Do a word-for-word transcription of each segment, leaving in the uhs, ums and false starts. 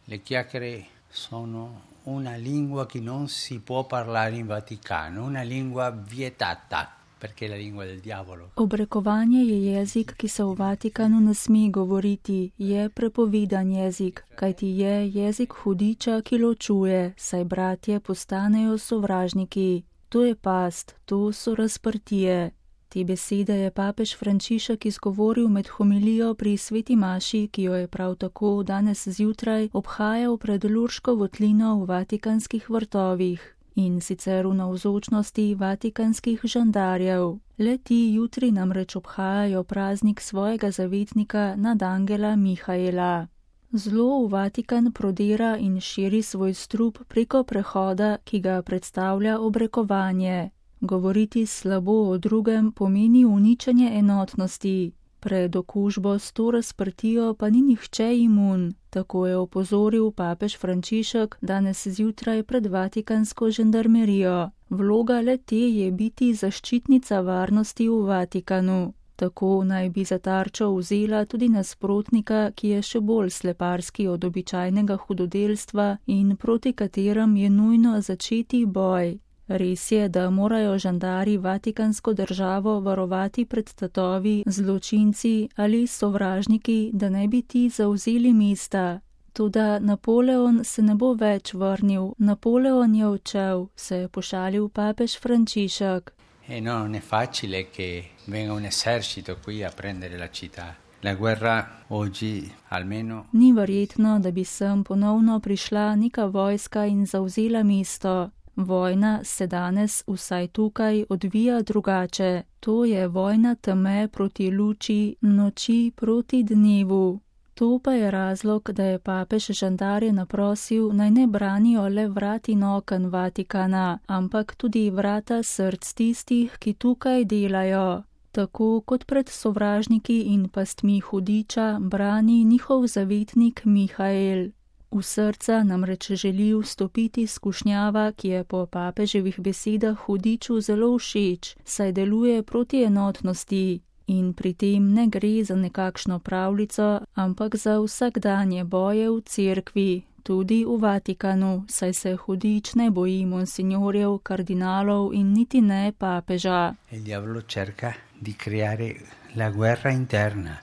Le chiacchiere sono una lingua che non si può parlare in Vaticano, una lingua vietata, perché è la lingua del diavolo. Obrekovanje je jezik, ki se v Vatikanu ne sme govoriti, je prepovedan jezik, kajti je jezik hudiča, ki ločuje, saj bratje postanejo sovražniki. To je past, to so razprtije. Te besede je papež Frančišek izgovoril med homilijo pri sveti maši, ki jo je prav tako danes zjutraj obhajal pred Lurško votlino v vatikanskih vrtovih, in sicer v navzočnosti vatikanskih žandarjev. Le ti jutri namreč obhajajo praznik svojega zavetnika nadangela Mihaela. Zlo v Vatikan prodira in širi svoj strup preko prehoda, ki ga predstavlja obrekovanje. Govoriti slabo o drugem pomeni uničenje enotnosti. Pred okužbo s to razprtijo pa ni nihče imun, tako je opozoril papež Frančišek danes zjutraj pred vatikansko žandarmerijo. Vloga le te je biti zaščitnica varnosti v Vatikanu. Tako naj bi za tarčo vzela tudi nasprotnika, ki je še bolj sleparski od običajnega hudodelstva in proti katerem je nujno začeti boj. Res je, da morajo žandari vatikansko državo varovati pred tatovi, zločinci ali sovražniki, da ne bi ti zavzeli mesta. Toda Napoleon se ne bo več vrnil, Napoleon je odšel, se je pošalil papež Frančišek. E no, non è facile che venga un esercito qui a prendere la città. La guerra oggi almeno... Ni verjetno, da bi sem ponovno prišla neka vojska in zavzela mesto. Vojna se danes vsaj tukaj odvija drugače. To je vojna teme proti luči, noči proti dnevu. To pa je razlog, da je papež žandarje naprosil, naj ne branijo le vrat in oken Vatikana, ampak tudi vrata src tistih, ki tukaj delajo. Tako kot pred sovražniki in pastmi hudiča brani njihov zavetnik Mihael. V srca namreč želi vstopiti skušnjava, ki je po papeževih besedah hudiču zelo všeč, saj deluje proti enotnosti. In pri tem ne gre za nekakšno pravljico, ampak za vsakdanje boje v cerkvi, tudi v Vatikanu, saj se hudič ne boji monsignorjev, kardinalov in niti ne papeža. Il diavolo cerca di creare la guerra interna.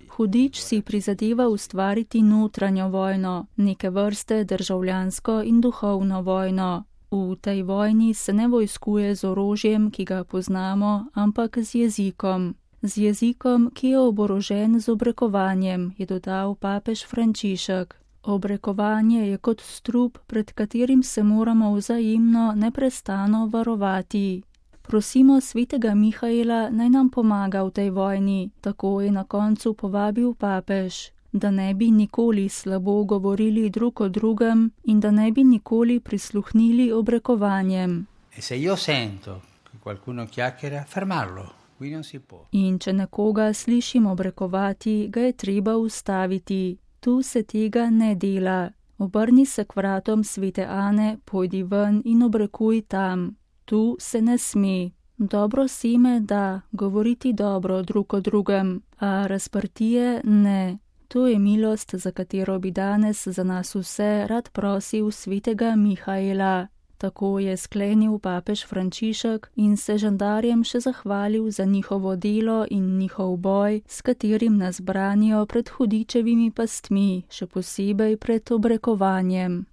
Hudič si prizadeva ustvariti notranjo vojno, neke vrste državljansko in duhovno vojno. V tej vojni se ne vojskuje z orožjem, ki ga poznamo, ampak z jezikom. Z jezikom, ki je oborožen z obrekovanjem, je dodal papež Frančišek. Obrekovanje je kot strup, pred katerim se moramo vzajemno neprestano varovati. Prosimo svetega Mihaela, naj nam pomaga v tej vojni, tako je na koncu povabil papež, da ne bi nikoli slabo govorili drug o drugem in da ne bi nikoli prisluhnili obrekovanjem. In če nekoga slišim obrekovati, ga je treba ustaviti. Tu se tega ne dela. Obrni se k vratom svete Ane, pojdi ven in obrekuj tam. Tu se ne sme. Dobro seme da, govoriti dobro drug o drugem, a razprtije ne. To je milost, za katero bi danes za nas vse rad prosil svetega Mihaela. Tako je sklenil papež Frančišek in se žandarjem še zahvalil za njihovo delo in njihov boj, s katerim nas branijo pred hudičevimi pastmi, še posebej pred obrekovanjem.